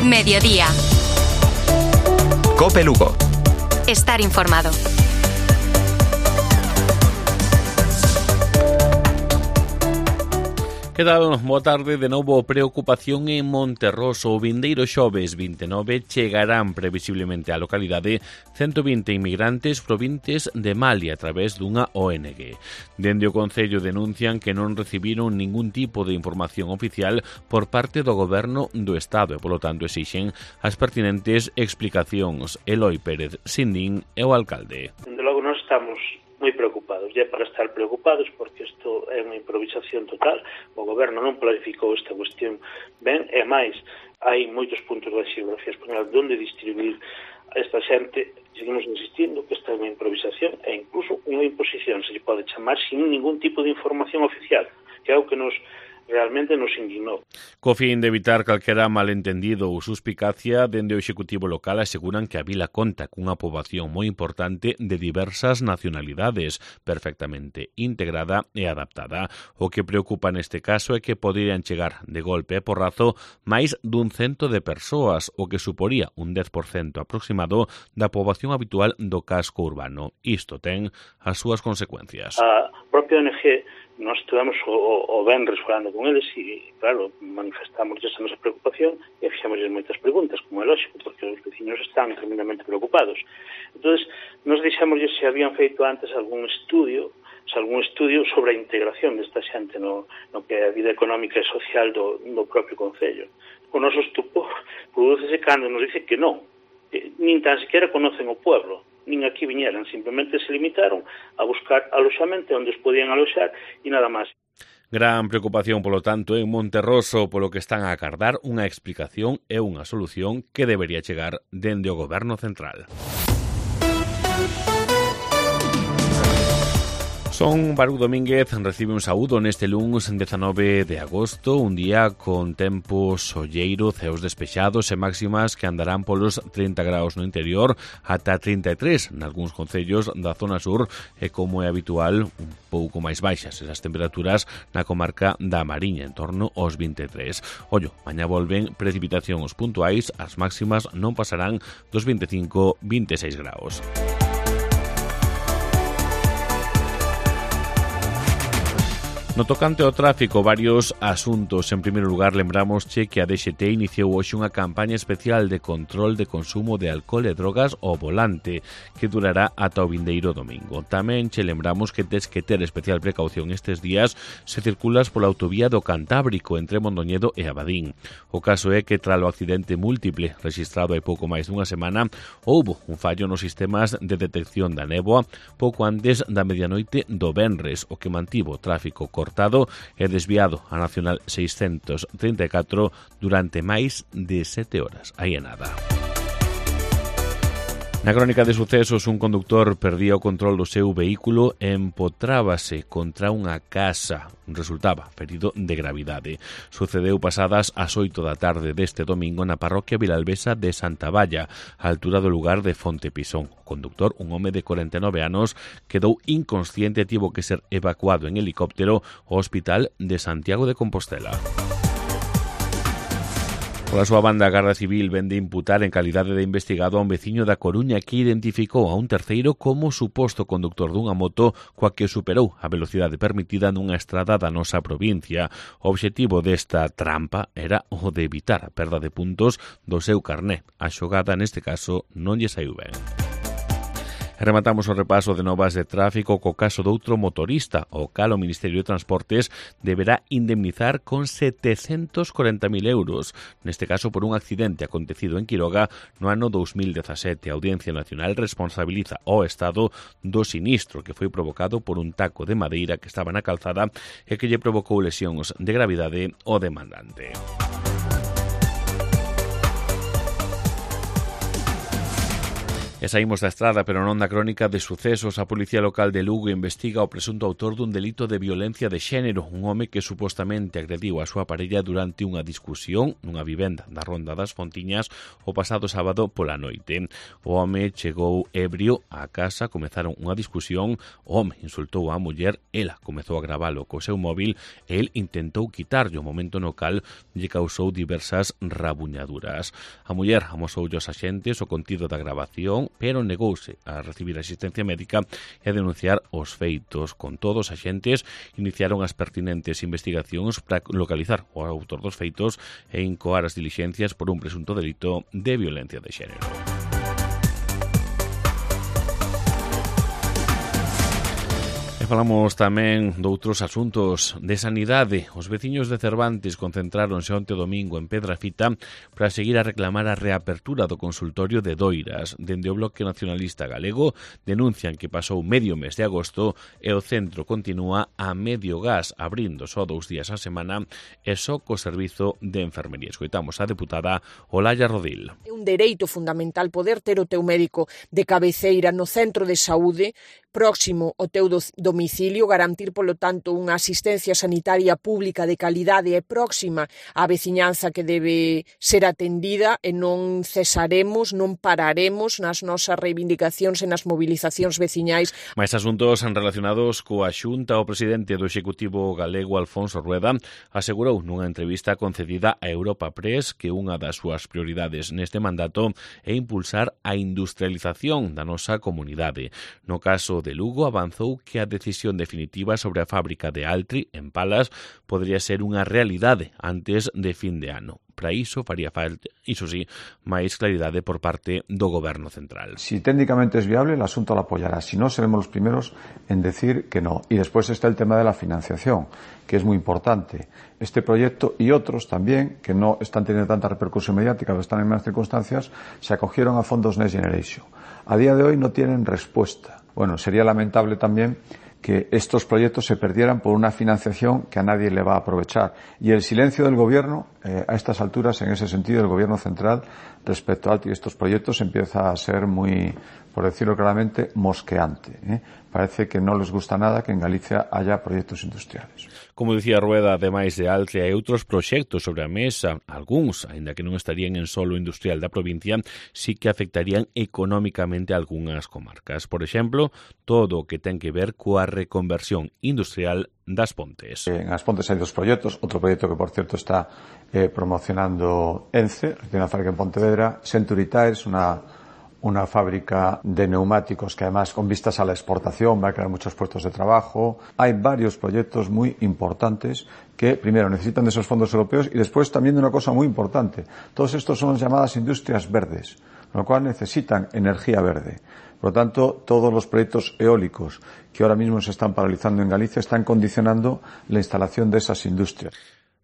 Mediodía. COPE Lugo. Estar informado. Que tal? Boa tarde. De novo, preocupación en Monterroso. O vindeiro xoves 29 chegarán previsiblemente á localidade 120 inmigrantes provenientes de Mali a través dunha ONG. Dende o Concello denuncian que non recibiron ningún tipo de información oficial por parte do Goberno do Estado e, polo tanto, exixen as pertinentes explicacións. Eloi Pérez Sindín é o alcalde. Dende logo non estamos moi preocupados, e é para estar preocupados porque isto é unha improvisación total. O goberno non planificou esta cuestión ben, e máis, hai moitos puntos da xeografía española onde distribuir a esta xente. Seguimos insistindo que esta é unha improvisación e incluso unha imposición, se lle pode chamar, sin ningún tipo de información oficial, que é o que realmente nos indignou. Co fin de evitar calquera malentendido ou suspicacia, dende o Executivo local aseguran que a vila conta cunha poboación moi importante de diversas nacionalidades, perfectamente integrada e adaptada. O que preocupa neste caso é que poderían chegar de golpe e porrazo máis dun 100 de persoas, o que suporía un 10% aproximado da poboación habitual do casco urbano. Isto ten as súas consecuencias. A propia ONG, nós estivemos o venres falando con eles e, claro, manifestamos esa nosa preocupación e fixamos moitas preguntas, como é lógico, porque os veciños están tremendamente preocupados. Entón, nos deixamos se habían feito antes algún estudio sobre a integración desta xente no que é a vida económica e social do propio Concello. O noso estupor prodúcese cando nos dice que non, nin tan sequera conocen o pueblo, nin aquí viñeran, simplemente se limitaron a buscar aloxamento onde os podían aloxar e nada máis. Gran preocupación, polo tanto, en Monterroso, polo que están a acardar unha explicación e unha solución que debería chegar dende o Goberno Central. Son Baruch Domínguez recibe un saúdo neste luns 19 de agosto, un día con tempo solleiro, ceos despexados e máximas que andarán polos 30 graus no interior ata 33 nalgúns concellos da zona sur e, como é habitual, un pouco máis baixas esas temperaturas na comarca da Mariña, en torno aos 23. Ollo, mañá volven precipitacións puntuais, as máximas non pasarán dos 25-26 graus. No tocante ao tráfico, varios asuntos. En primeiro lugar, lembramos que a DXT iniciou hoxe unha campaña especial de control de consumo de alcohol e drogas ao volante, que durará ata o vindeiro domingo. Tamén che lembramos que tes que ter especial precaución estes días se circulas pola autovía do Cantábrico entre Mondoñedo e Abadín. O caso é que, tras o accidente múltiple rexistrado hai pouco máis dunha semana, houbo un fallo nos sistemas de detección da néboa pouco antes da medianoite do venres, o que mantivo o tráfico cortado e desviado a Nacional 634 durante máis de 7 horas. Aí é nada. Na crónica de sucesos, un conductor perdía o control do seu vehículo e empotrábase contra unha casa. Resultaba ferido de gravidade. Sucedeu pasadas as 8 da tarde deste domingo na parroquia vilalbesa de Santa Valla, á altura do lugar de Fonte Pisón. O conductor, un home de 49 anos, quedou inconsciente e tivo que ser evacuado en helicóptero ao Hospital de Santiago de Compostela. Pola súa banda, a Garda Civil vende imputar en calidade de investigado a un veciño da Coruña que identificou a un terceiro como suposto conductor dunha moto coa que superou a velocidade permitida nunha estrada da nosa provincia. O obxectivo desta trampa era o de evitar a perda de puntos do seu carné. A xogada, neste caso, non lle saiu ben. Rematamos o repaso de novas de tráfico co caso doutro motorista, o cal o Ministerio de Transportes deberá indemnizar con 740.000 euros, neste caso por un accidente acontecido en Quiroga no ano 2017. A Audiencia Nacional responsabiliza ao Estado do sinistro que foi provocado por un taco de madeira que estaba na calzada e que lle provocou lesións de gravidade ao demandante. E saímos da estrada, pero non da crónica de sucesos. A Policía Local de Lugo investiga o presunto autor dun delito de violencia de xénero, un home que supostamente agrediu a súa parella durante unha discusión nunha vivenda da Ronda das Fontiñas o pasado sábado pola noite. O home chegou ebrio á casa, comezaron unha discusión, o home insultou á muller, ela comezou a gravalo co seu móvil e el intentou quitarlle. O momento no cal lle causou diversas rabuñaduras. A muller amosou aos axentes o contido da grabación, pero negouse a recibir asistencia médica e a denunciar os feitos. Con todos, os axentes iniciaron as pertinentes investigacións para localizar o autor dos feitos e incoar as dilixencias por un presunto delito de violencia de xénero. Falamos tamén doutros asuntos de sanidade. Os veciños de Cervantes concentráronse onte domingo en Pedrafita para seguir a reclamar a reapertura do consultorio de Doiras. Dende o Bloque Nacionalista Galego denuncian que pasou medio mes de agosto e o centro continúa a medio gas, abrindo só 2 días a semana e só co servizo de enfermería. Escoitamos a deputada Olalla Rodil. É un dereito fundamental poder ter o teu médico de cabeceira no centro de saúde próximo ao teu domicilio, garantir, polo tanto, unha asistencia sanitaria pública de calidade e próxima á veciñanza que debe ser atendida e non cesaremos, non pararemos nas nosas reivindicacións e nas movilizacións veciñais. Mais asuntos relacionados coa Xunta, o presidente do Executivo galego, Alfonso Rueda, asegurou nunha entrevista concedida a Europa Press que unha das súas prioridades neste mandato é impulsar a industrialización da nosa comunidade. No caso de Lugo, avanzou que a decisión definitiva sobre a fábrica de Altri, en Palas, podría ser unha realidade antes de fin de ano. Para iso faría falta, iso sí, máis claridade por parte do Goberno central. Si técnicamente es viable, el asunto lo apoyará. Si no, seremos los primeros en decir que no. Y después está el tema de la financiación, que es muy importante. Este proyecto y otros también, que no están teniendo tanta repercusión mediática, pero están en más circunstancias, se acogieron a fondos Next Generation. A día de hoy no tienen respuesta. Bueno, sería lamentable también que estos proyectos se perdieran por una financiación que a nadie le va a aprovechar. Y el silencio del Gobierno, a estas alturas, en ese sentido, del Gobierno central, respecto a estos proyectos, empieza a ser muy, por decirlo claramente, mosqueante. Parece que no les gusta nada que en Galicia haya proyectos industriales. Como dicía Rueda, ademais de Altri, hai outros proxectos sobre a mesa, algúns, aínda que non estarían en solo industrial da provincia, sí que afectarían económicamente a algunhas comarcas. Por exemplo, todo o que ten que ver coa reconversión industrial das Pontes. En As Pontes hai 2 proxectos, outro proxecto que, por certo, está promocionando ENCE, que tiene una fábrica en Pontevedra, Century Tires, una fábrica de neumáticos que además con vistas a la exportación va a crear muchos puestos de trabajo. Hay varios proyectos muy importantes que primero necesitan de esos fondos europeos y después también de una cosa muy importante. Todos estos son las llamadas industrias verdes, con lo cual necesitan energía verde. Por lo tanto, todos los proyectos eólicos que ahora mismo se están paralizando en Galicia están condicionando la instalación de esas industrias.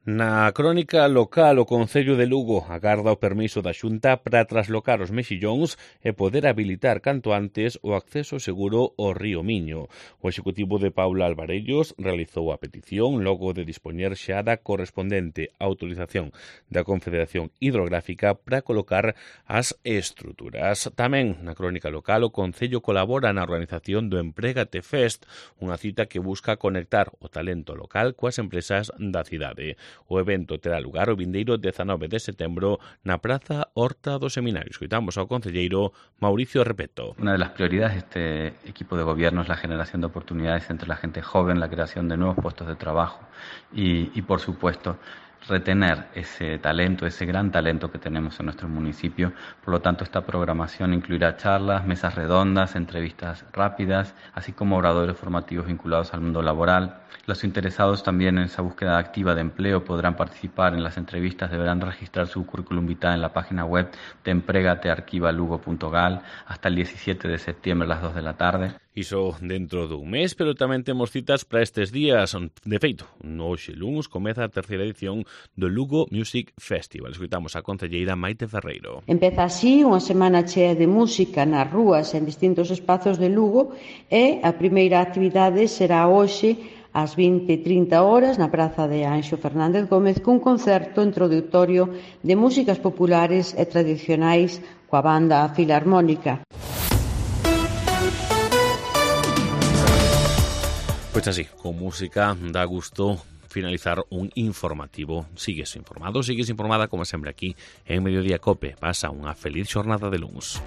Na crónica local, o Concello de Lugo agarda o permiso da Xunta para traslocar os mexillóns e poder habilitar canto antes o acceso seguro ao río Miño. O Executivo de Paula Alvarellos realizou a petición logo de dispoñer xa da correspondente autorización da Confederación Hidrográfica para colocar as estruturas. Tamén na crónica local, o Concello colabora na organización do Emprégate Fest, unha cita que busca conectar o talento local coas empresas da cidade. O evento terá lugar o vindeiro 19 de setembro na Praza Horta do Seminario. Escoitamos ao concelleiro Mauricio Repeto. Una de las prioridades de este equipo de gobierno es la generación de oportunidades entre la gente joven, la creación de nuevos puestos de trabajo y por supuesto, retener ese talento, ese gran talento que tenemos en nuestro municipio. Por lo tanto, esta programación incluirá charlas, mesas redondas, entrevistas rápidas, así como oradores formativos vinculados al mundo laboral. Los interesados también en esa búsqueda activa de empleo podrán participar en las entrevistas, deberán registrar su currículum vitae en la página web de empregatearquivalugo.gal hasta el 17 de septiembre a las 2 de la tarde. Iso dentro dun mes, pero tamén temos citas para estes días. De feito, hoxe luns comeza a 3ª edición do Lugo Music Festival. Escoitamos a concelleira Maite Ferreiro. Empeza así unha semana chea de música nas rúas en distintos espazos de Lugo e a primeira actividade será hoxe ás 20:30 horas na Praza de Anxo Fernández Gómez cun concerto introductorio de músicas populares e tradicionais coa banda Filarmónica. Pues así, con música da gusto finalizar un informativo. Sigues informado, sigues informada como sempre aquí en Mediodía Cope. Pasa unha feliz xornada de luns.